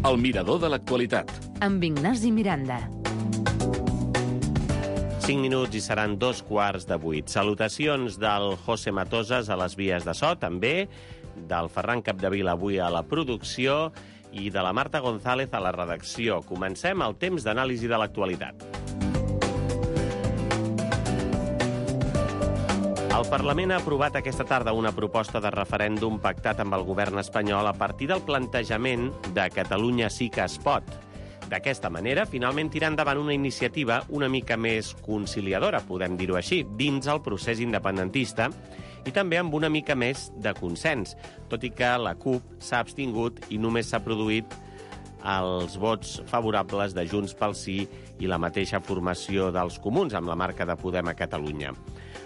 El mirador de l'actualitat. Amb Ignasi Miranda. 5 minuts i seran 7:15. Salutacions del José Matosas a les vies de so, també, del Ferran Capdevila avui a la producció i de la Marta González a la redacció. Comencem el temps d'anàlisi de l'actualitat. El Parlament ha aprovat aquesta tarda una proposta de referèndum pactat amb el govern espanyol a partir del plantejament de Catalunya sí que es pot. D'aquesta manera, finalment tira endavant una iniciativa una mica més conciliadora, podem dir-ho així, dins el procés independentista i també amb una mica més de consens, tot i que la CUP s'ha abstingut i només s'ha produït els vots favorables de Junts pel Sí i la mateixa formació dels Comuns, amb la marca de Podem a Catalunya.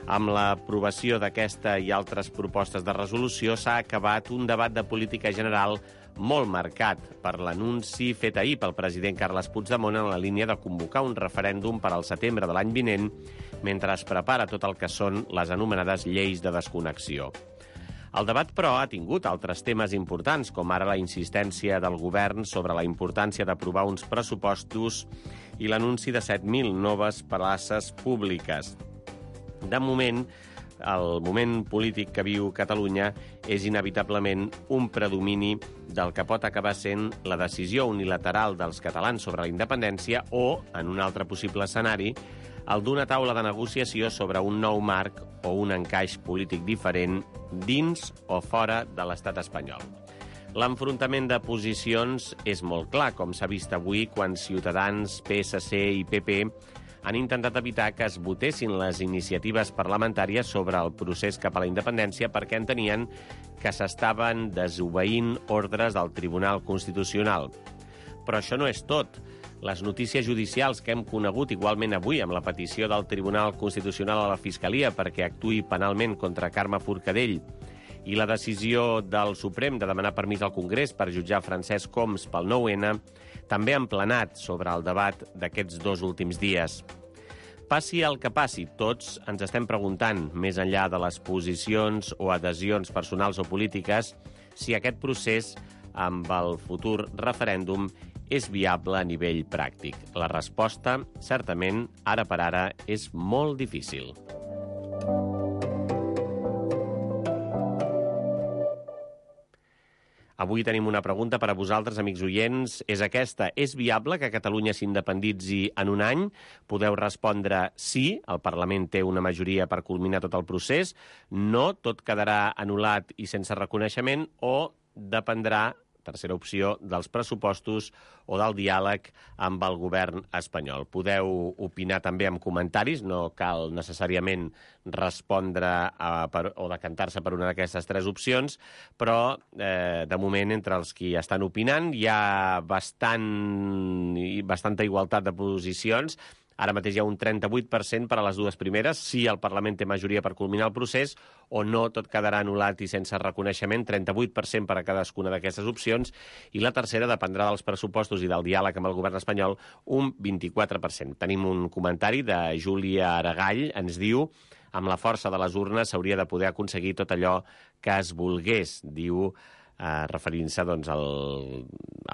Amb l'aprovació d'aquesta i altres propostes de resolució s'ha acabat un debat de política general molt marcat per l'anunci fet ahir pel president Carles Puigdemont en la línia de convocar un referèndum per al setembre de l'any vinent, mentre es prepara tot el que són les anomenades lleis de desconnexió. El debat, però, ha tingut altres temes importants, com ara la insistència del govern sobre la importància d'aprovar uns pressupostos i l'anunci de 7.000 noves places públiques. De moment, el moment polític que viu Catalunya és inevitablement un predomini del que pot acabar sent la decisió unilateral dels catalans sobre la independència o, en un altre possible escenari, el d'una taula de negociació sobre un nou marc o un encaix polític diferent dins o fora de l'estat espanyol. L'enfrontament de posicions és molt clar, com s'ha vist avui quan Ciutadans, PSC i PP han intentat evitar que es votessin les iniciatives parlamentàries sobre el procés cap a la independència perquè entenien que s'estaven desobeint ordres del Tribunal Constitucional. Però això no és tot. Les notícies judicials que hem conegut igualment avui amb la petició del Tribunal Constitucional a la Fiscalia perquè actuï penalment contra Carme Forcadell i la decisió del Suprem de demanar permís al Congrés per jutjar Francesc Homs pel 9-N també han planat sobre el debat d'aquests 2 últims dies. Passi el que passi, tots ens estem preguntant, més enllà de les posicions o adhesions personals o polítiques, si aquest procés amb el futur referèndum és viable a nivell pràctic. La resposta, certament, ara per ara, és molt difícil. Avui tenim una pregunta per a vosaltres, amics oients. És aquesta. És viable que Catalunya s'independitzi en un any? Podeu respondre sí, el Parlament té una majoria per culminar tot el procés. No, tot quedarà anul·lat i sense reconeixement, o dependrà, tercera opció, dels pressupostos o del diàleg amb el govern espanyol. Podeu opinar també amb comentaris, no cal necessàriament respondre o decantar-se per una d'aquestes 3 opcions, però de moment entre els qui estan opinant hi ha bastanta igualtat de posicions. Ara mateix hi ha un 38% per a les 2 primeres, si el Parlament té majoria per culminar el procés, o no, tot quedarà anul·lat i sense reconeixement, 38% per a cadascuna d'aquestes opcions, i la tercera dependrà dels pressupostos i del diàleg amb el govern espanyol, un 24%. Tenim un comentari de Júlia Aragall, ens diu: amb la força de les urnes s'hauria de poder aconseguir tot allò que es volgués, diu, referint-se doncs, a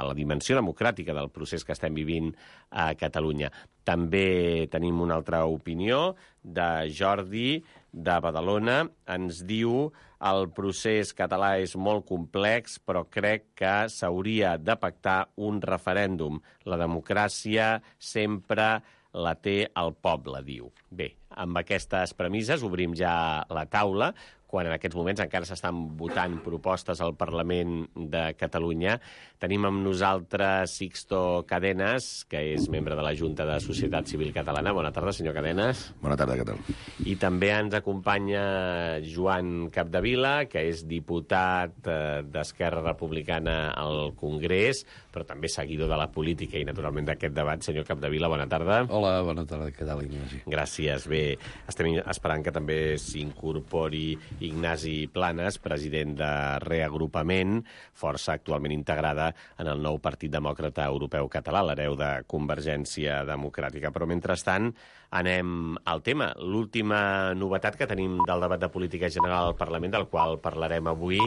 la dimensió democràtica del procés que estem vivint a Catalunya. També tenim una altra opinió de Jordi, de Badalona. Ens diu: el procés català és molt complex, però crec que s'hauria de pactar un referèndum. La democràcia sempre la té el poble, diu. Bé, amb aquestes premisses obrim ja la taula, quan en aquests moments encara s'estan votant propostes al Parlament de Catalunya. Tenim amb nosaltres Sixto Cadenas, que és membre de la Junta de Societat Civil Catalana. Bona tarda, senyor Cadenas. Bona tarda, què tal? I també ens acompanya Joan Capdevila, que és diputat d'Esquerra Republicana al Congrés, però també seguidor de la política i, naturalment, d'aquest debat. Senyor Capdevila, bona tarda. Hola, bona tarda, què tal, Ignasi? Gràcies. Bé, estem esperant que també s'incorpori Ignasi Planas, president de Reagrupament, força actualment integrada en el nou Partit Demòcrata Europeu Català, l'hereu de Convergència Democràtica. Però, mentrestant, anem al tema. L'última novetat que tenim del debat de política general al Parlament, del qual parlarem avui,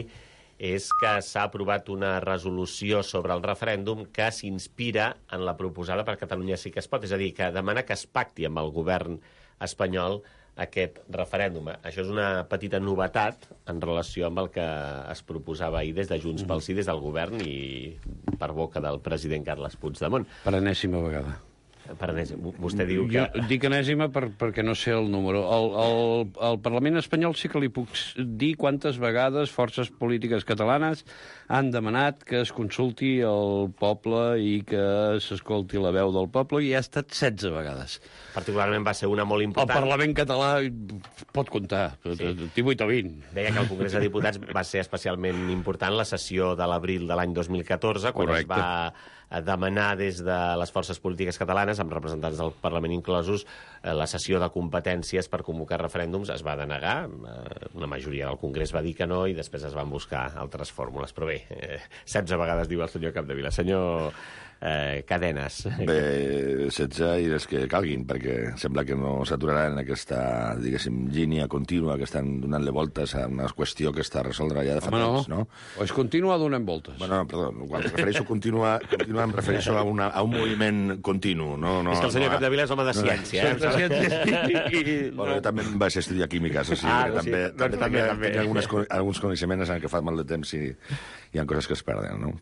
és que s'ha aprovat una resolució sobre el referèndum que s'inspira en la proposada per Catalunya Sí que es pot, és a dir, que demana que es pacti amb el govern espanyol aquest referèndum. Això és una petita novetat en relació amb el que es proposava ahir des de Junts pel Sí, des del govern i per boca del president Carles Puigdemont. Per enèsima vegada. Vostè diu que... Jo dic enèsima perquè no sé el número. Al Parlament espanyol sí que li puc dir quantes vegades forces polítiques catalanes han demanat que es consulti el poble i que s'escolti la veu del poble, i ha estat 16 vegades. Particularment va ser una molt important. El Parlament català pot comptar, 18 o 20. Deia que el Congrés de Diputats va ser especialment important la sessió de l'abril de l'any 2014, quan es va demanar des de les forces polítiques catalanes, amb representants del Parlament inclosos, la cessió de competències per convocar referèndums. Es va denegar, una majoria del Congrés va dir que no, i després es van buscar altres fórmules. Però bé, 16 vegades diu el senyor Capdevila. Senyor Cadenes. Bé, 16 i les que calguin, perquè sembla que no s'aturarà en aquesta, diguéssim, línia contínua que estan donant-li voltes a una qüestió que està resoldre ja de fa temps, no? O és continua donant voltes. Bueno, perdó, quan em refereixo a continuar em refereixo a un moviment continu, no? És que el senyor Capdevila és home de ciència, Bueno, jo també vaig estudiar químiques, o sigui, també tinc alguns coneixements en què fa molt de temps i hi ha coses que es perden, no?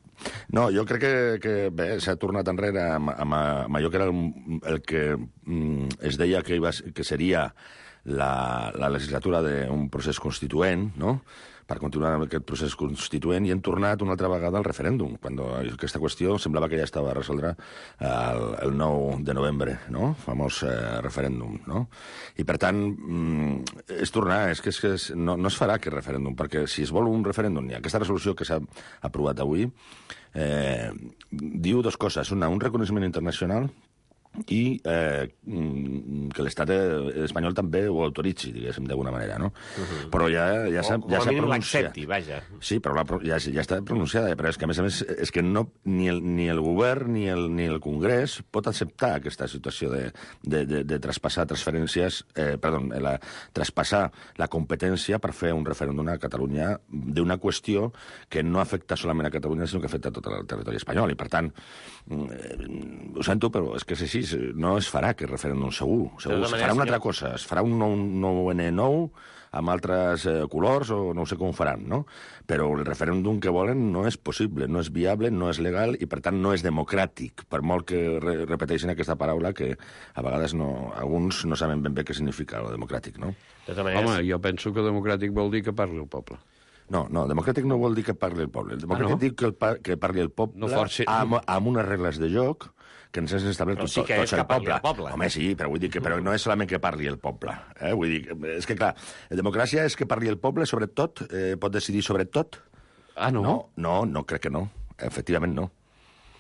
No, jo crec que bé, s'ha tornat enrere amb allò que era el que es deia que seria la legislatura d'un procés constituent, no?, per continuar amb aquest procés constituent, i hem tornat una altra vegada al referèndum, quan aquesta qüestió semblava que ja estava a resoldre el 9 de novembre, no?, famós referèndum, no? I, per tant, és tornar, no es farà aquest referèndum, perquè si es vol un referèndum, i aquesta resolució que s'ha aprovat avui diu dues coses. Una, un reconeixement internacional, i que l'estat espanyol també ho autoritzi, diguéssim, d'alguna manera, no? Però ja s'ha pronunciat. L'accepti, vaja. Sí, però ja està pronunciada, però és que, a més, és que ni el govern ni el Congrés pot acceptar aquesta situació de traspassar traspassar la competència per fer un referèndum a Catalunya d'una qüestió que no afecta solament a Catalunya, sinó que afecta a tot el territori espanyol. I, per tant, ho sento, però és que és així. No es farà aquest referèndum segur. Es farà una altra cosa. Es farà un nou N9 amb altres colors, o no sé com ho faran, no? Però el referèndum que volen no és possible, no és viable, no és legal i, per tant, no és democràtic, per molt que repeteixin aquesta paraula que a vegades alguns no saben ben bé què significa el democràtic, no? Home, jo penso que democràtic vol dir que parli el poble. No, democràtic no vol dir que parli el poble. El democràtic diu que parli el poble amb unes regles de joc que ens has establert tots el poble. Home, sí, però vull dir que no és solament que parli el poble. Vull dir, és que, clar, democràcia és que parli el poble sobre tot, pot decidir sobre tot. Ah, no? No, crec que no. Efectivament, no.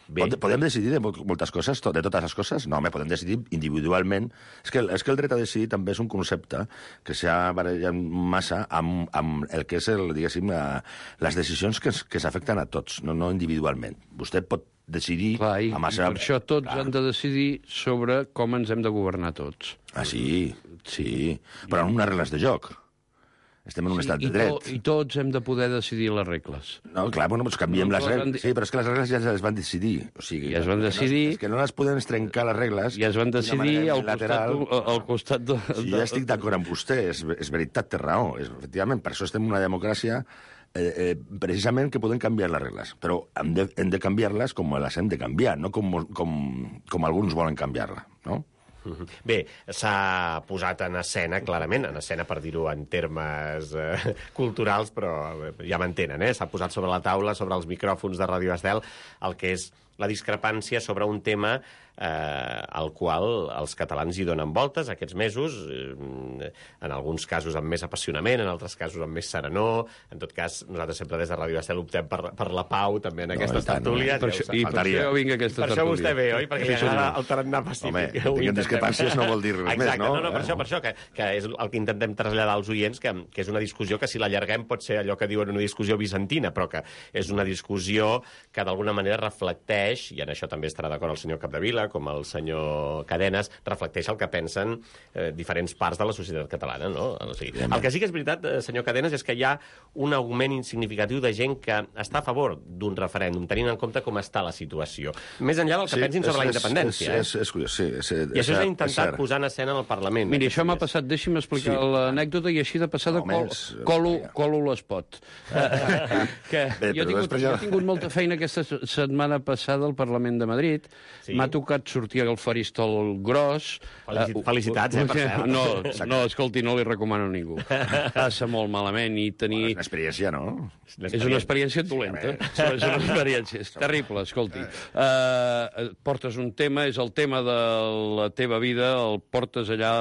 Podem decidir de moltes coses, de totes les coses? No, podem decidir individualment. És que el dret a decidir també és un concepte que s'ha barallat massa amb el que és, diguéssim, les decisions que s'afecten a tots, no individualment. Vostè pot decidir... Clar, i per això tots han de decidir sobre com ens hem de governar tots. Ah, sí, però amb unes regles de joc. Estem en un estat de dret. I tots hem de poder decidir les regles. No, clar, doncs canviem les regles. Sí, però és que les regles ja es van decidir. O sigui, ja es van decidir... És que no les podem trencar, les regles... Ja es van decidir al costat de... Sí, ja estic d'acord amb vostè, és veritat, té raó. Efectivament, per això estem en una democràcia precisament que podem canviar les regles, però hem de canviar-les com les hem de canviar, no com alguns volen canviar-la, no? Bé, s'ha posat en escena, clarament, per dir-ho en termes culturals, però ja m'entenen, s'ha posat sobre la taula, sobre els micròfons de Ràdio Estel, el que és la discrepància sobre un tema al qual els catalans hi donen voltes aquests mesos, en alguns casos amb més apassionament, en altres casos amb més serenor. En tot cas, nosaltres sempre des de Ràdio Estel optem per la pau, també en aquestes tertúlies. I per això vinc a aquesta tertúlia. Per això vostè ve, oi? Perquè li agrada el tarannà pacífic. Home, tinguem discrepàncies no vol dir res més, no? No, per això, que és el que intentem traslladar als oients, que és una discussió que, si l'allarguem, pot ser allò que diuen una discussió bizantina, però que és una discussió que d'alguna manera reflecteix reflecteix, i en això també estarà d'acord el senyor Capdevila, com el senyor Cadenes, reflecteix el que pensen diferents parts de la societat catalana, no? O sigui, el que sí que és veritat, senyor Cadenes, és que hi ha un augment insignificatiu de gent que està a favor d'un referèndum, tenint en compte com està la situació. Més enllà del que pensin sobre la independència. És curiós, sí. I això s'ha intentat posar en escena en el Parlament. Miri, això m'ha passat, deixi'm explicar l'anècdota, i així de passada colo l'espot. Jo he tingut molta feina aquesta setmana passada al Parlament de Madrid. M'ha tocat sortir al faristol gros. Felicitats, per cert. No, escolti, no li recomano a ningú. Passa molt malament i tenir... És una experiència, no? És una experiència dolenta. És una experiència. És terrible, escolti. Portes un tema, és el tema de la teva vida, el portes allà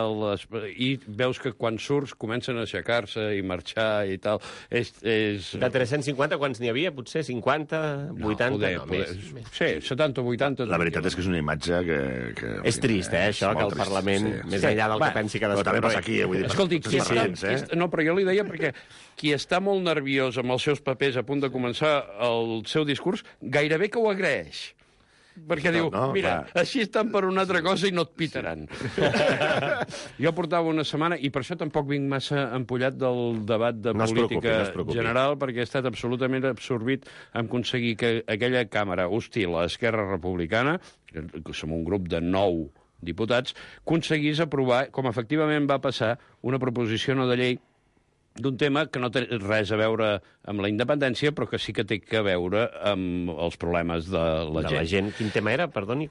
i veus que quan surts comencen a aixecar-se i marxar i tal. De 350, quants n'hi havia? Potser 50, 80? Més. Sí, 70 o 80. La veritat és que és una imatge que és trist, això, que el Parlament, més enllà del que pensi cadascú... Però també passa aquí, vull dir... Escolti, no, però jo li deia perquè qui està molt nerviós amb els seus papers a punt de començar el seu discurs, gairebé que ho agraeix. Perquè diu, mira, així estan per una altra cosa i no et pitaran. Jo portava una setmana, i per això tampoc vinc massa empollat del debat de política general, perquè he estat absolutament absorbit en aconseguir que aquella càmera hostil a Esquerra Republicana, que som un grup de 9 diputats, aconseguís aprovar, com efectivament va passar, una proposició no de llei d'un tema que no té res a veure amb la independència, però que sí que té a veure amb els problemes de la gent. Quin tema era, perdoni?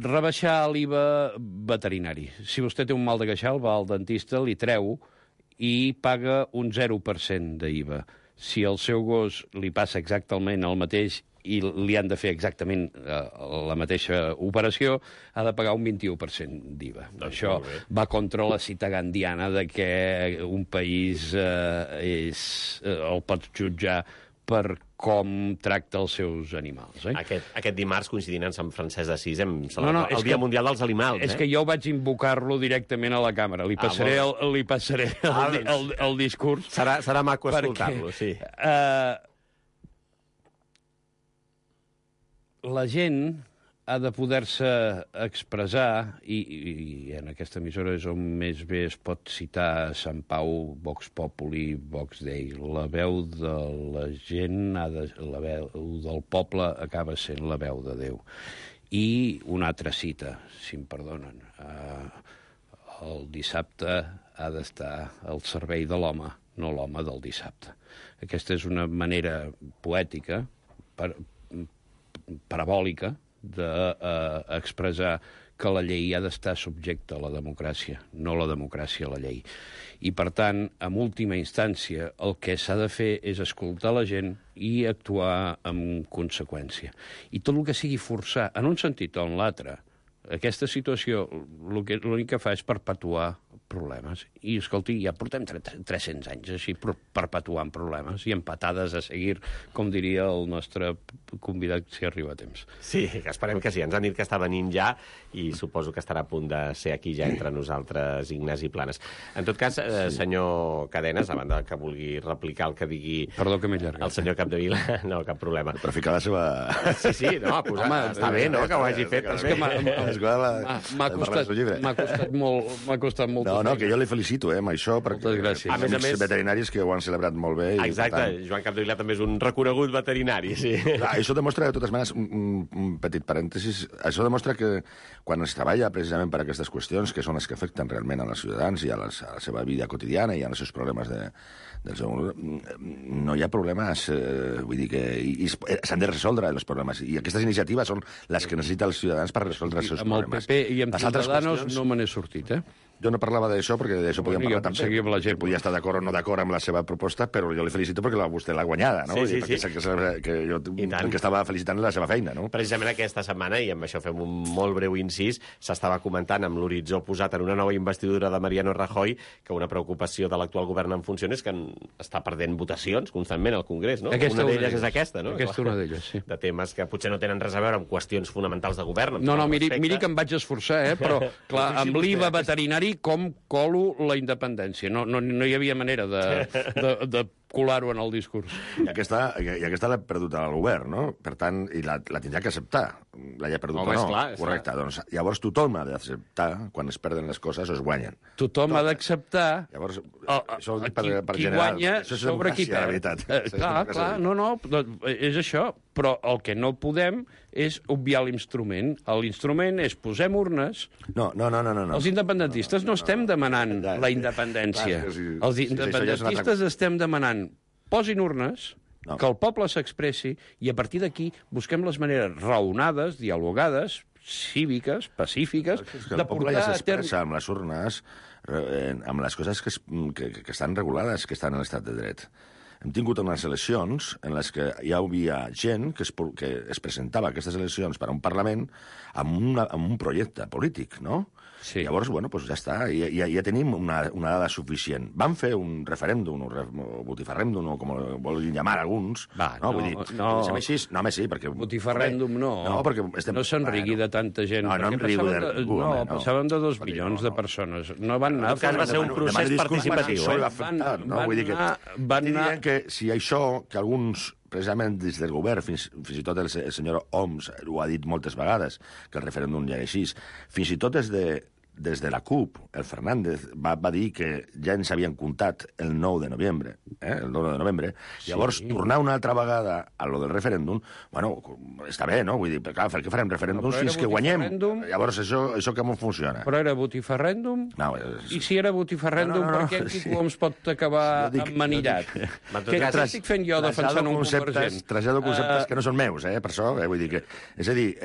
Rebaixar l'IVA veterinari. Si vostè té un mal de queixal, va al dentista, li treu i paga un 0% d'IVA. Si al seu gos li passa exactament el mateix i li han de fer exactament la mateixa operació, ha de pagar un 21% d'IVA. Això va contra la cita gandiana de que un país el pot jutjar per com tracta els seus animals. Aquest dimarts, coincidint amb Sant Francesc d'Assís, el Dia Mundial dels Animals. És que jo vaig invocar-lo directament a la càmera. Li passaré el discurs. Serà maco escoltar-lo, sí. La gent ha de poder-se expressar, i en aquesta emissora és on més bé es pot citar Sant Pau, Vox Populi, Vox Dei. La veu de la gent, la veu del poble acaba sent la veu de Déu. I una altra cita, si em perdonen. El dissabte ha d'estar al servei de l'home, no l'home del dissabte. Aquesta és una manera poètica, parabòlica, d'expressar que la llei ha d'estar subjecta a la democràcia, no la democràcia a la llei. I, per tant, en última instància, el que s'ha de fer és escoltar la gent i actuar en conseqüència. I tot el que sigui forçar, en un sentit o en l'altre, aquesta situació l'únic que fa és perpetuar problemes. I, escolti, ja portem 300 anys així perpetuant problemes i empatades a seguir, com diria el nostre convidat, si arriba a temps. Sí, esperem que sí. Ens han dit que està venint ja i suposo que estarà a punt de ser aquí ja entre nosaltres, Ignasi Planes. En tot cas, senyor Cadenes, a banda que vulgui replicar el que digui el senyor Capdevila, no, cap problema. Per ficar la seva... Sí, no, està bé, no?, que ho hagi fet. M'ha costat molt. No, que jo li felicito, amb això, perquè a més, veterinaris que ho han celebrat molt bé. Exacte, Joan Capdevila també és un reconegut veterinari, sí. Això demostra, de totes maneres, un petit parèntesis, això demostra que quan es treballa precisament per aquestes qüestions, que són les que afecten realment a els ciutadans i a la seva vida quotidiana i als seus problemes no hi ha problemes, vull dir que s'han de resoldre els problemes, i aquestes iniciatives són les que necessiten els ciutadans per resoldre els seus problemes. Amb el PP i amb Ciudadanos no me n'he sortit, Jo no parlava d'això, perquè d'això podíem parlar també. Que podia estar d'acord o no d'acord amb la seva proposta, però jo li felicito perquè vostè l'ha guanyada, no? Sí. Que jo el que estava felicitant la seva feina, no? Precisament aquesta setmana, i amb això fem un molt breu incís, s'estava comentant amb l'horitzó posat en una nova investidura de Mariano Rajoy que una preocupació de l'actual govern en funcions és que està perdent votacions constantment al Congrés, no? Una d'elles és aquesta, no? Aquesta una d'elles, sí. De temes que potser no tenen res a veure amb qüestions fonamentals de govern. No, miri que em vaig esforçar, però, clar, amb l'IVA veterinari com colo la independència. No hi havia manera de colar-ho en el discurs. I aquesta l'ha perdut el govern, no? Per tant, i la tindrà que acceptar. L'hagi perdut o no. Clar, correcte. Doncs, llavors tothom ha d'acceptar quan es perden les coses o es guanyen. Tothom ha d'acceptar Llavors, qui guanya sobre qui perd. Clar, no, és això. Però el que no podem és obviar l'instrument. L'instrument és posem urnes. No. Els independentistes no estem demanant la independència. Els independentistes estem demanant posin urnes, que el poble s'expressi, i a partir d'aquí busquem les maneres raonades, dialogades, cíviques, pacífiques, de portar ja s'expressa amb les urnes, amb les coses que estan regulades, que estan en l'estat de dret. Hem tingut unes eleccions en les que hi havia gent que es presentava a aquestes eleccions per a un Parlament amb un projecte polític, no? Sí. Llavors, doncs ja està, ja tenim una dada suficient. Van fer un referèndum, o botifarrèndum, o com ho vulguin llamar alguns. Vull dir, així, home, sí, perquè... Botifarrèndum no. No s'enrigui de tanta gent. No enrigo de ningú. No, passàvem de 2 milions de persones. No van anar... En tot cas va ser un procés participatiu. Van anar... que si això, que alguns precisament des del govern, fins i tot el senyor Homs ho ha dit moltes vegades, que el referèndum ja era així, fins i tot des de la CUP, el Fernández va dir que ja ens havien comptat el 9 de novembre, el 9 de novembre. Sí. Llavors, tornar una altra vegada a lo del referèndum, bueno, està bé, no? Vull dir, clar, per què farem referèndums fins que guanyem? Llavors, això com funciona? Però era botifarrèndum? No, I si era botifarrèndum, per què en Quico Homs pot acabar emmanillat? Què estic fent jo defensant un convergent? Trasllado conceptes que no són meus, per això, vull dir que... És a dir,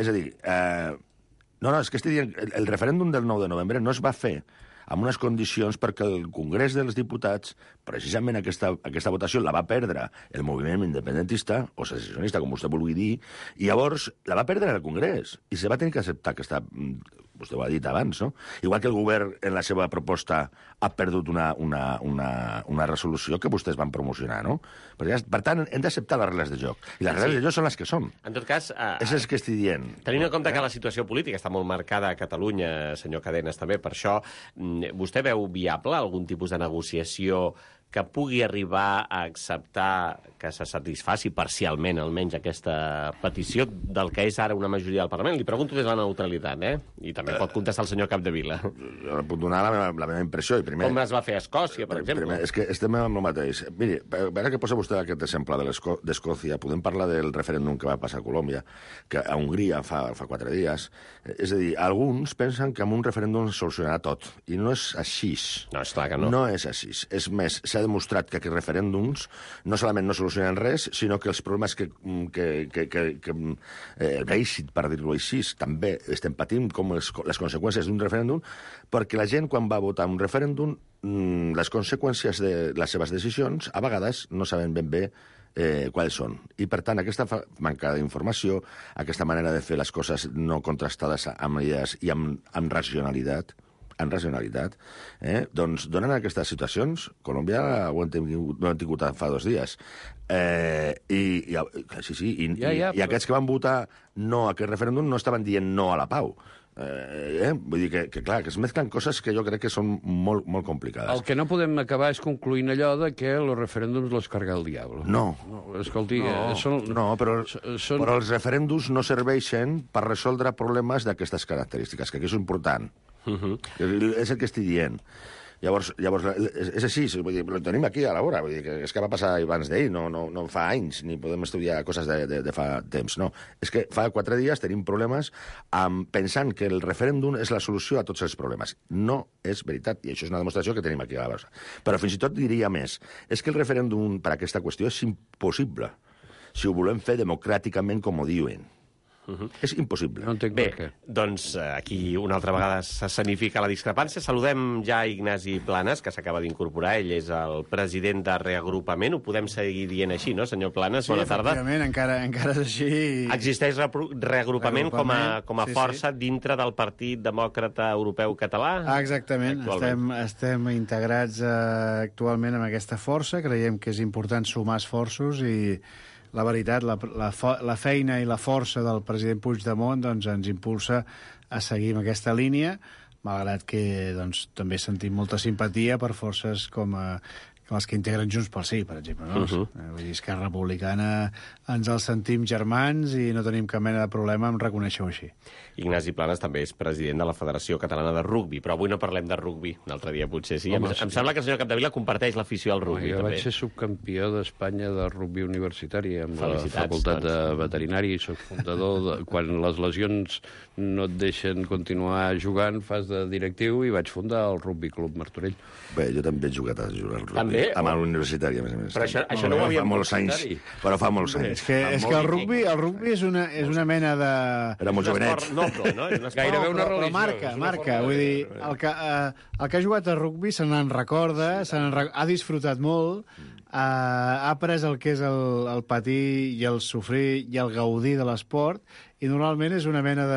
no, és que estic dient, el referèndum del 9 de novembre no es va fer amb unes condicions perquè el Congrés dels Diputats, precisament aquesta votació la va perdre el moviment independentista, o secessionista, com vostè vulgui dir, i llavors la va perdre el Congrés, i se va tenir que acceptar aquesta... Vostè ho ha dit abans, no? Igual que el govern, en la seva proposta, ha perdut una resolució que vostès van promocionar, no? Per tant, hem d'acceptar les regles de joc. I les regles de joc són les que són. En tot cas... És el que estic dient. Tenint en compte que la situació política està molt marcada a Catalunya, senyor Cadenes, també, per això, vostè veu viable algun tipus de negociació que pugui arribar a acceptar que se satisfaci parcialment, almenys, aquesta petició del que és ara una majoria del Parlament? Li pregunto des de la neutralitat, I també pot contestar el senyor Capdevila. Jo puc donar la meva impressió. I primer, com es va fer a Escòcia, per exemple? Primer, és que estem amb el mateix. Miri, ara que posa vostè aquest exemple d'Escòcia, podem parlar del referèndum que va passar a Colòmbia, que a Hongria fa 4 dies. És a dir, alguns pensen que amb un referèndum es solucionarà tot, i no és així. No, és clar que no. No és així. És més, s'ha demostrat que aquests referèndums no solament no solucionen res, sinó que els problemes el Brexit, per dir-ho així, també estem patint com les conseqüències d'un referèndum, perquè la gent, quan va votar un referèndum, les conseqüències de les seves decisions, a vegades no saben ben bé quals són. I, per tant, aquesta manca d'informació, aquesta manera de fer les coses no contrastades amb idees i amb racionalitat, doncs donen aquestes situacions. Colòmbia ho hem tingut fa 2 dies. I aquests que van votar no a aquest referèndum no estaven dient no a la pau. Vull dir que, clar, que es mezclen coses que jo crec que són molt, molt complicades. El que no podem acabar és concluint allò de que els referèndums los carga el diablo. No. Escolti, però els referèndums no serveixen per resoldre problemes d'aquestes característiques, que aquí és important. És el que estic dient. Llavors, és així, vull dir, ho tenim aquí a la vora, vull dir, que és que va passar abans d'ahir, no fa anys, ni podem estudiar coses de fa temps, no. És que fa 4 dies tenim problemes pensant que el referèndum és la solució a tots els problemes. No és veritat, i això és una demostració que tenim aquí a la vora. Però fins i tot diria més, és que el referèndum per a aquesta qüestió és impossible si ho volem fer democràticament com ho diuen. És impossible. No entenc per què. Doncs aquí una altra vegada s'escenifica la discrepància. Saludem ja Ignasi Planes, que s'acaba d'incorporar. Ell és el president de Reagrupament. Ho podem seguir dient així, no, senyor Planes? Bona tarda. Sí, efectivament, encara és així. Existeix Reagrupament com a força dintre del Partit Demòcrata Europeu Català? Exactament. Estem integrats actualment en aquesta força. Creiem que és important sumar esforços i la veritat, la feina i la força del president Puigdemont doncs, ens impulsa a seguir amb aquesta línia, malgrat que doncs, també sentim molta simpatia per forces com les que integren Junts pel Sí, per exemple. No? Vull dir, Esquerra Republicana ens els sentim germans i no tenim cap mena de problema en reconèixer-ho així. Ignasi Planas també és president de la Federació Catalana de Rugbi, però avui no parlem de rugbi, un altre dia potser sí. Em sembla que el senyor Capdevila comparteix l'afició al rugbi. Jo també. vaig ser subcampió d'Espanya de rugbi universitari amb Felicitats, la facultat doncs. de veterinari i soc fundador quan les lesions no et deixen continuar jugant, fas de directiu i vaig fundar el Rugbi Club Martorell. Bé, jo també he jugat a jugar al rugby. També? Amb l'universitari, a més a més. Però això no ho havíem fa molts anys. Però fa molts anys. És que el rugbi és una mena de... Era molt jovenet. Noble, no? Gairebé una religió. Però marca. Vull dir, el que ha jugat a rugbi se n'en recorda, ha disfrutat molt, ha après el que és el patir i el sofrir i el gaudir de l'esport, i normalment és una mena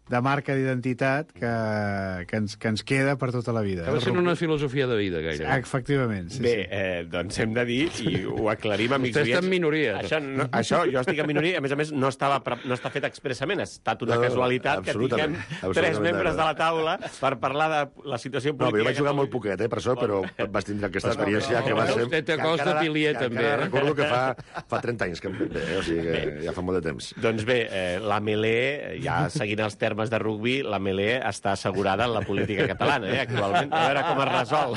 de marca d'identitat que ens queda per tota la vida. Va ser una filosofia de vida, gairebé. Efectivament. Sí, Bé, doncs hem de dir, i ho aclarim, amics Vostè està en minoria. Això, jo estic en minoria, a més, no està fet expressament, ha estat una casualitat que tinguem tres membres de la taula per parlar de la situació política. No, jo vaig jugar molt poquet, per això, però vas tindre aquesta experiència que va ser... Vostè té cos de pilier, també. Encara recordo que fa 30 anys que em ve, o sigui que ja fa molt de temps. Doncs bé, la Melé, ja seguint els termes de rugbi, la Melé està assegurada en la política catalana, actualment. A veure com es resol.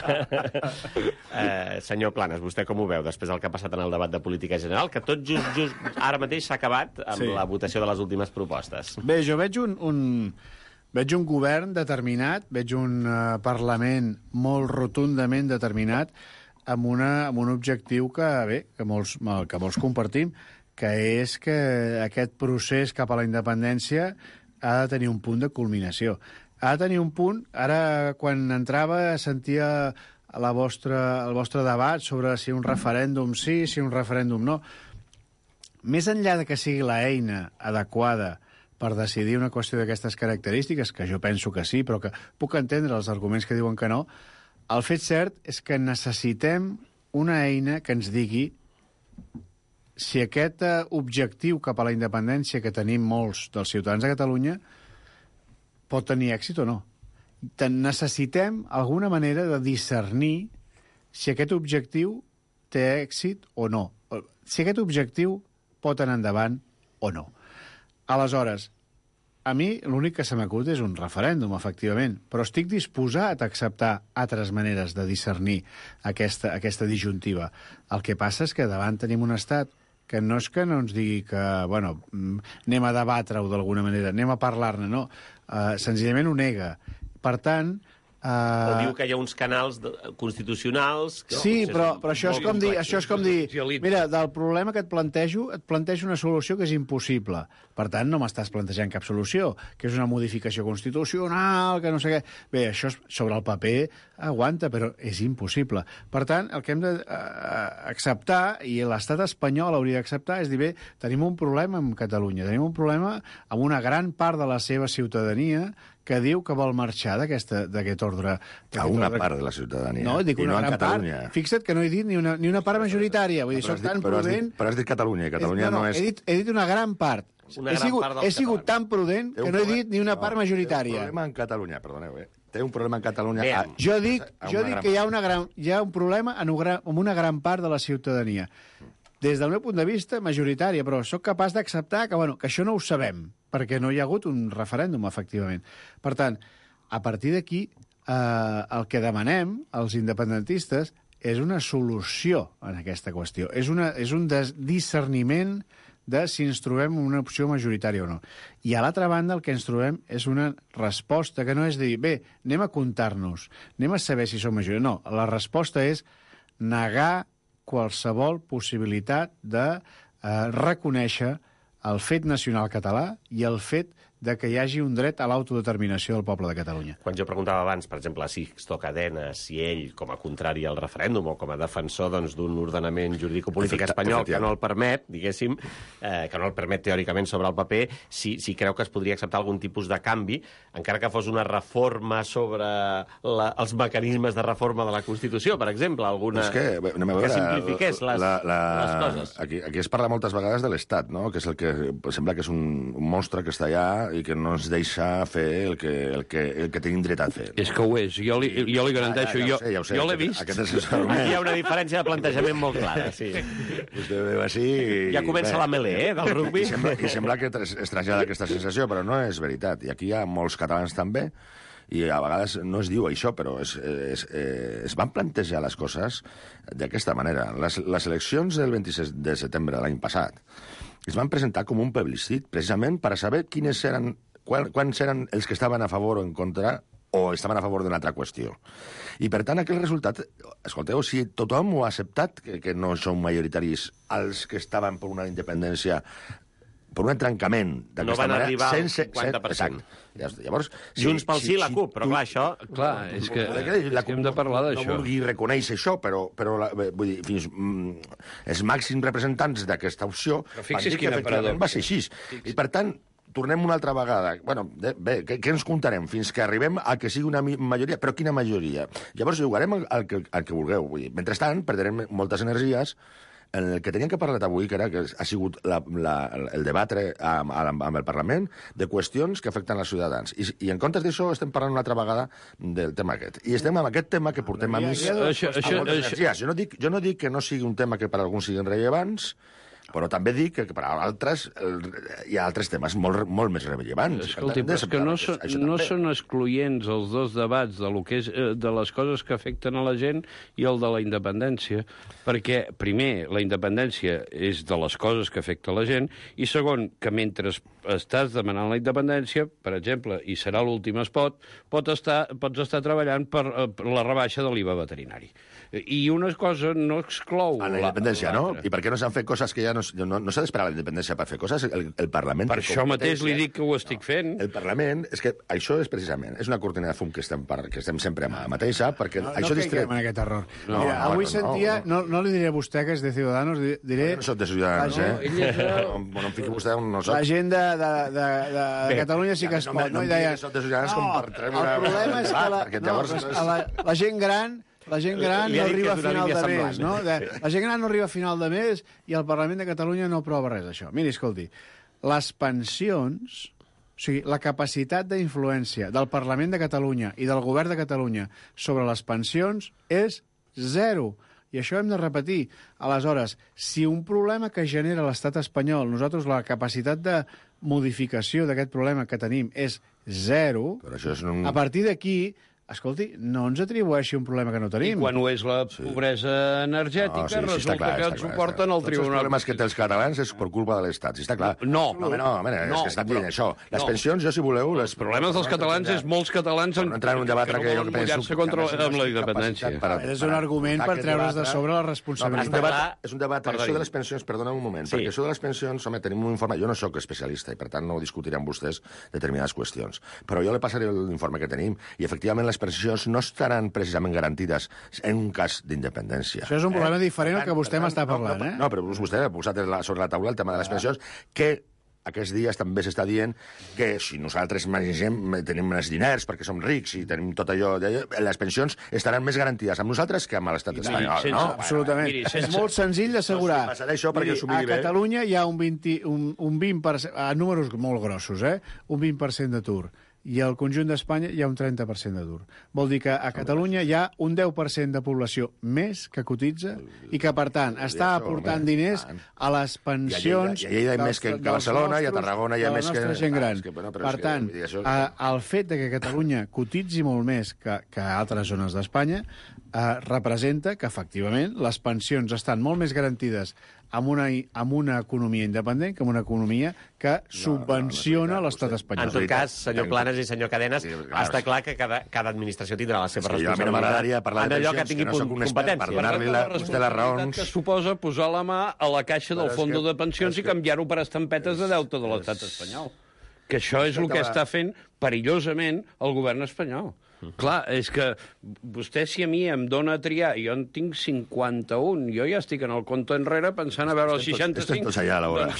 Senyor Planas, vostè com ho veu després del que ha passat en el debat de política general, que tot just ara mateix s'ha acabat amb la votació de les últimes propostes? Bé, jo veig veig un govern determinat, veig un Parlament molt rotundament determinat amb un objectiu que molts compartim, que és que aquest procés cap a la independència ha de tenir un punt de culminació. Ha de tenir un punt... Ara, quan entrava, sentia el vostre debat sobre si un referèndum sí, si un referèndum no. Més enllà de que sigui l'eina adequada per decidir una qüestió d'aquestes característiques, que jo penso que sí, però que puc entendre els arguments que diuen que no, el fet cert és que necessitem una eina que ens digui si aquest objectiu cap a la independència que tenim molts dels ciutadans de Catalunya pot tenir èxit o no. Necessitem alguna manera de discernir si aquest objectiu té èxit o no. Si aquest objectiu pot anar endavant o no. Aleshores, a mi l'únic que se m'acut és un referèndum, efectivament, però estic disposat a acceptar altres maneres de discernir aquesta disjuntiva. El que passa és que davant tenim un estat que no és que no ens digui que, bueno, anem a debatre-ho d'alguna manera, anem a parlar-ne, no. Senzillament ho nega. Per tant... O diu que hi ha uns canals constitucionals... Sí, però això és com dir... Mira, del problema que et plantejo una solució que és impossible. Per tant, no m'estàs plantejant cap solució, que és una modificació constitucional, que no sé què... Bé, això sobre el paper aguanta, però és impossible. Per tant, el que hem d'acceptar, i l'estat espanyol hauria d'acceptar, és dir, bé, tenim un problema amb Catalunya, tenim un problema amb una gran part de la seva ciutadania que diu que vol marxar d'aquest ordre. A una part de la ciutadania. No, dic una gran part. Fixa't que no he dit ni una part majoritària. Vull dir, soc tan prudent... Però has dit Catalunya, i Catalunya no és... He dit una gran part. He sigut tan prudent que no he dit ni una part majoritària. Té un problema en Catalunya, perdoneu, Té un problema en Catalunya... Jo dic que hi ha un problema amb una gran part de la ciutadania. Des del meu punt de vista, majoritària, però sóc capaç d'acceptar que això no ho sabem, perquè no hi ha hagut un referèndum, efectivament. Per tant, a partir d'aquí, el que demanem, els independentistes, és una solució en aquesta qüestió. És un discerniment de si ens trobem una opció majoritària o no. I a l'altra banda el que ens trobem és una resposta que no és dir, bé, anem a comptar-nos, anem a saber si som majoria. No, la resposta és negar qualsevol possibilitat de reconèixer el fet nacional català i el fet de que hi hagi un dret a l'autodeterminació del poble de Catalunya. Quan jo preguntava abans, per exemple, a Sixto Cadena, si ell, com a contrari al referèndum o com a defensor d'un ordenament jurídico-polític espanyol que no el permet, diguéssim, que no el permet teòricament sobre el paper, si creu que es podria acceptar algun tipus de canvi, encara que fos una reforma sobre els mecanismes de reforma de la Constitució, per exemple, alguna que simplifiqués les coses. Aquí es parla moltes vegades de l'Estat, no? Que és el que sembla que és un monstre que està allà i que no ens deixa fer el que tenim dret a fer. És que ho és, jo li garanteixo, ja ho sé, jo l'he vist. Aquí hi ha una diferència de plantejament molt clara, sí. Vostè veu així... Ja comença la melé, del rugby. I sembla que es trasllada aquesta sensació, però no és veritat. I aquí hi ha molts catalans també, i a vegades no es diu això, però es van plantejar les coses d'aquesta manera. Les eleccions del 26 de setembre de l'any passat es van presentar com un plebiscit, precisament per a saber quants eren els que estaven a favor o en contra o estaven a favor d'una altra qüestió. I, per tant, aquell resultat... Escolteu, si tothom ho ha acceptat, que no són majoritaris els que estaven per una independència, per un trencament d'aquesta manera... No van arribar al 50%. Llavors, Junts pel sí, la CUP, però clar, això... Clar, és que hem de parlar d'això. No vulgui reconèixer això, però vull dir, fins els màxims representants d'aquesta opció van dir que efectivament va ser així. I, per tant, tornem una altra vegada. Bueno, bé, què ens comptarem? Fins que arribem a que sigui una majoria. Però quina majoria? Llavors jugarem al que vulgueu. Vull dir, mentrestant, perdrem moltes energies en el que teníem que parlar avui, que ha sigut el debatre amb el Parlament de qüestions que afecten els ciutadans. I en comptes d'això estem parlant una altra vegada del tema aquest. I estem amb aquest tema que portem a més moltes energies. Jo no dic que no sigui un tema que per a alguns siguin rellevants, però també dic que per a altres hi ha altres temes molt més rellevants. Escolti, però és que no són excloents els dos debats de les coses que afecten a la gent i el de la independència, perquè, primer, la independència és de les coses que afecta la gent, i segon, que mentre estàs demanant la independència, per exemple, i serà l'últim spot, pots estar treballant per la rebaixa de l'IVA veterinari. I una cosa no exclou a la independència, no? I per què no s'han fet coses que ja no s'ha d'esperar la independència per fer coses? El Parlament... Per això mateix li dic que ho estic fent. El Parlament... És que això és precisament... És una cortina de fum que estem sempre amb la mateixa, perquè això distreu... No caiguem en aquest error. Mira, avui sentia... No li diré a vostè que és de Ciudadanos, diré... No soc de Ciudadanos, no em fiqui vostè on no soc. La gent de Catalunya sí que es pot, no? I deia... El problema és que la gent gran... La gent gran no arriba a final de mes, no? La gent gran no arriba a final de mes i el Parlament de Catalunya no aprova res d'això. Miri, escolti, les pensions, o sigui, la capacitat d'influència del Parlament de Catalunya i del Govern de Catalunya sobre les pensions és zero. I això hem de repetir. Aleshores, si un problema que genera l'estat espanyol, nosaltres la capacitat de modificació d'aquest problema que tenim és zero, a partir d'aquí... Escolti, no ens atribueixi un problema que no tenim. I quan ho és la pobresa energètica, resulta que ens ho porten al tribunal. Els problemes que té els catalans és per culpa de l'Estat, si està clar. No, és que estan dient això. Les pensions, jo si voleu... Els problemes dels catalans és molts catalans que no volen mullar-se amb la independència. És un argument per treure's de sobre la responsabilitat. És un debat. Això de les pensions, perdona un moment, perquè això de les pensions, home, tenim un informe... Jo no sóc especialista i, per tant, no discutiré amb vostès determinades qüestions. Però jo le passaré l'informe que tenim i, efectivament, les pensions no estaran precisament garantides en un cas d'independència. Això és un problema diferent al que vostè m'està parlant, No, però vostè ha posat sobre la taula el tema de les pensions, que aquests dies també s'està dient que si nosaltres tenim més diners perquè som rics i tenim tot allò, les pensions estaran més garantides amb nosaltres que amb l'estat espanyol, no? Absolutament. És molt senzill d'assegurar. A Catalunya hi ha un 20%, a números molt grossos, un 20% d'atur. I al conjunt d'Espanya hi ha un 30% d'atur. Vol dir que a Catalunya hi ha un 10% de població més que cotitza i que, per tant, està aportant diners a les pensions... I a Lleida hi ha més que a Barcelona i a Tarragona hi ha més que... gent gran. Per tant, el fet de que Catalunya cotitzi molt més que altres zones d'Espanya representa que, efectivament, les pensions estan molt més garantides amb una economia independent que amb una economia que subvenciona l'estat espanyol. En tot cas, senyor Planes i senyor Cadenes, està clar que cada administració tindrà la seva responsabilitat en allò que tingui competència. Per donar-li les raons... Que suposa posar la mà a la caixa del fons de pensions i canviar-ho per estampetes de deute de l'estat espanyol. Que això és el que està fent perillosament el govern espanyol. Clar, és que vostè, si a mi em dona a triar, jo en tinc 51, jo ja estic en el compte enrere pensant a veure els 65. Estem tots allà, a l'hora.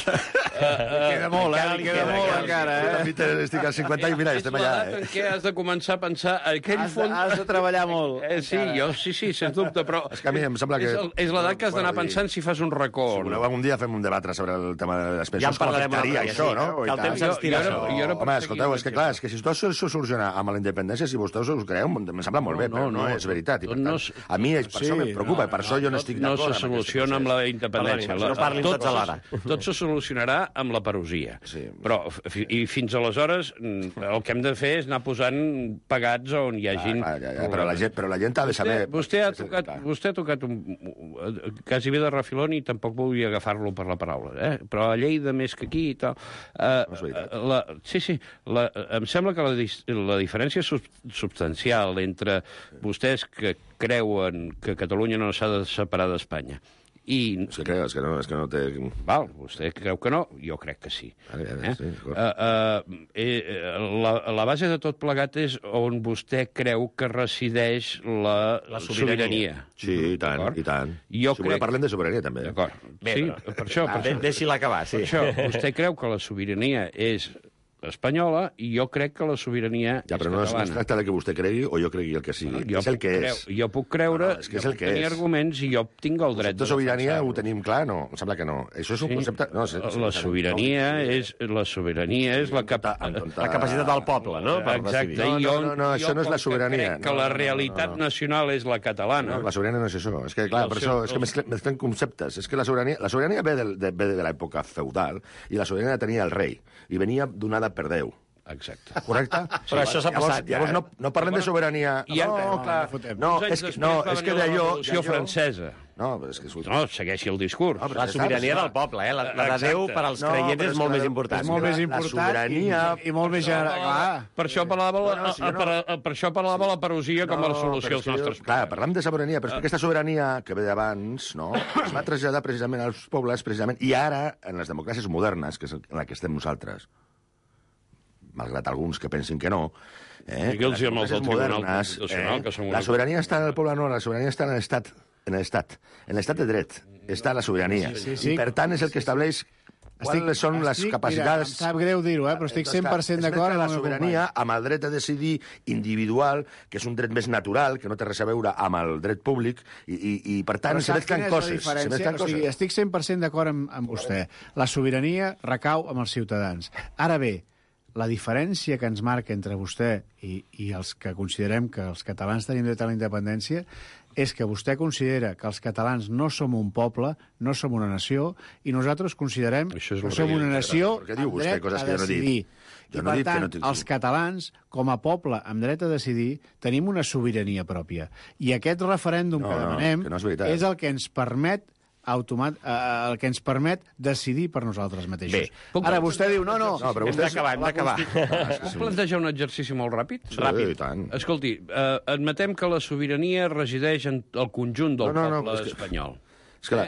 Queda molt, queda molt encara, Jo també estic als 50 i mira, estem allà. És l'edat en què has de començar a pensar aquell fons... Has de treballar molt. Sí, sens dubte, però... És que a mi em sembla que... És l'edat que has d'anar pensant si fas un racó. Si voleu, algun dia fem un debat sobre el tema de les pensions, Ja en parlarem com afectaria això, no? Que el temps ens tira això. Home, escolteu, és que clar, és que si tot això soluciona amb la independència, si vostès us creu, em sembla molt bé, però no és veritat. I per tant, a mi per això em preocupa, per això jo no estic d'acord. No se soluciona amb la independència. No parlin tots alhora. Tot se solucionarà amb la perosia. Però fins aleshores el que hem de fer és anar posant pagats on hi hagin... Però la gent ha de saber... Vostè ha tocat quasi bé de refilón i tampoc volia agafar-lo per la paraula, però a Lleida més que aquí i tal... Em sembla que la diferència substancial entre vostès que creuen que Catalunya no s'ha de separar d'Espanya i... És que no té... Val, vostè creu que no, jo crec que sí. La base de tot plegat és on vostè creu que resideix la sobirania. Sí, i tant, i tant. Si parlem de sobirania, també. D'acord. Sí, per això... Deixi-la acabar, sí. Per això, vostè creu que la sobirania és espanyola i jo crec que la sobirania és però no es tracta de que vostè cregui o jo cregui el que sigui. És el que és. Jo puc creure, jo puc tenir arguments i jo tinc el dret de defensar-ho. La sobirania ho tenim clar? No, em sembla que no. Això és un concepte... La sobirania és la capacitat del poble, no? Exacte. No, això no és la sobirania. Que la realitat nacional és la catalana. La sobirania no és això. És que, clar, per això és que mesclem conceptes. És que la sobirania ve de l'època feudal i la sobirania tenia el rei i venia donada per Déu. Exacte. Correcte? Però això s'ha passat, ja. Llavors no parlem de sobirania... No, és que d'allò... La Revolució Francesa. No, és que... No, segueixi el discurs. La sobirania del poble, la de Déu per als creients és molt més important. És molt més important i molt més general. Per això parlava la perosia com a solució als nostres problemes. Clar, parlem de sobirania, però és que aquesta sobirania que ve d'abans, no, es va traslladar precisament als pobles, i ara, en les democràcies modernes, que és en la que estem nosaltres, malgrat alguns que pensin que no, digue'ls amb els del Tribunal Constitucional, que són la sobirania està en el poble, no, la sobirania està en l'estat, en l'estat de dret, està la sobirania. I per tant és el que estableix quines són les capacitats... Em sap greu dir-ho, però estic 100% d'acord amb la sobirania, amb el dret a decidir individual, que és un dret més natural, que no té res a veure amb el dret públic, i per tant se mezclen coses. Estic 100% d'acord amb vostè. La sobirania recau amb els ciutadans. Ara bé, la diferència que ens marca entre vostè i els que considerem que els catalans tenim dret a la independència és que vostè considera que els catalans no som un poble, no som una nació, i nosaltres considerem que som una nació amb dret a decidir. I, per tant, els catalans, com a poble amb dret a decidir, tenim una sobirania pròpia. I aquest referèndum que demanem és el que ens permet el que ens permet decidir per nosaltres mateixos. Ara vostè diu, no. Hem d'acabar. Puc plantejar un exercici molt ràpid? Ràpid. Escolti, admetem que la sobirania resideix en el conjunt del poble espanyol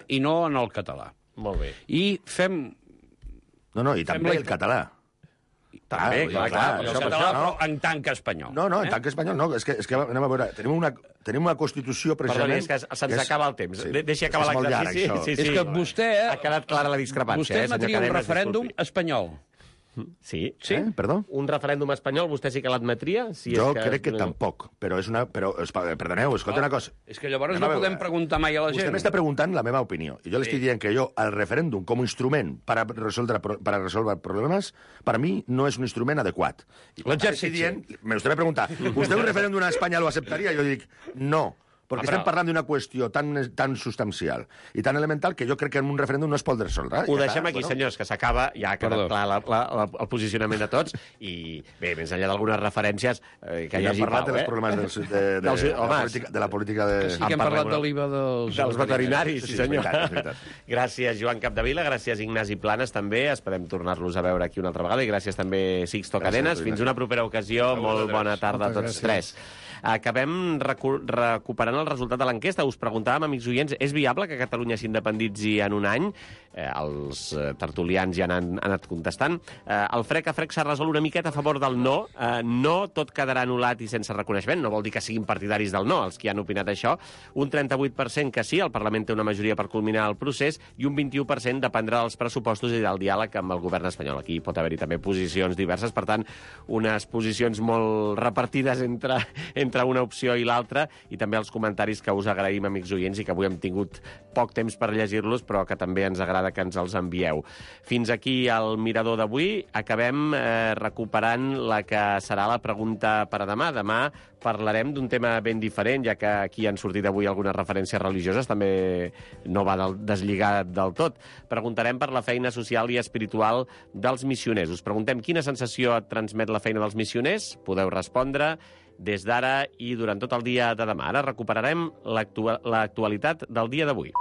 i no en el català. Molt bé. I fem... I també el català. També, clar. Però en tant que espanyol. No, en tant que espanyol no. És que anem a veure, tenim una Constitució precisament... Perdoni, és que se'ns acaba el temps. Deixi acabar l'exercici. És que vostè... Ha quedat clara la discrepància. Vostè admetria un referèndum espanyol. Sí? Perdó? Un referèndum espanyol, vostè sí que l'admetria? Jo crec que tampoc, però perdoneu, escolta una cosa. És que llavors no podem preguntar mai a la gent. Vostè m'està preguntant la meva opinió, i jo li estic dient que el referèndum com a instrument per a resoldre problemes, per a mi no és un instrument adequat. L'exercici. Vostè m'ha preguntat, vostè un referèndum a Espanya lo acceptaria? Jo dic, no. Perquè estem parlant d'una qüestió tan substancial i tan elemental que jo crec que en un referèndum no es pot resoldre. Ho deixem aquí, senyors, que s'acaba. Ja ha quedat clar el posicionament de tots. I bé, més enllà d'algunes referències que hi hagi parlat dels problemes de la política de... Sí que hem parlat de l'IVA dels veterinaris, sí senyor. Gràcies, Joan Capdevila, gràcies, Ignasi Planes, també. Esperem tornar-los a veure aquí una altra vegada. I gràcies també, Sixto Cadenes. Fins una propera ocasió. Molt bona tarda a tots tres. Acabem recuperant el resultat de l'enquesta. Us preguntàvem, amics oients, és viable que Catalunya s'independitzi en un any? Els tertulians ja han anat contestant. El frec a frec s'ha resolt una miqueta a favor del no. No tot quedarà anul·lat i sense reconeixement. No vol dir que siguin partidaris del no, els que han opinat això. Un 38% que sí, el Parlament té una majoria per culminar el procés, i un 21% dependrà dels pressupostos i del diàleg amb el govern espanyol. Aquí pot haver-hi també posicions diverses, per tant, unes posicions molt repartides entre una opció i l'altra, i també els comentaris que us agraïm, amics oients, i que avui hem tingut poc temps per llegir-los, però que també ens agrada que ens els envieu. Fins aquí el Mirador d'avui. Acabem recuperant la que serà la pregunta per a demà. Demà parlarem d'un tema ben diferent, ja que aquí han sortit avui algunes referències religioses, també no va deslligat del tot. Preguntarem per la feina social i espiritual dels missioners. Us preguntem quina sensació et transmet la feina dels missioners? Podeu respondre des d'ara i durant tot el dia de demà. Ara recuperarem l'actualitat del dia d'avui.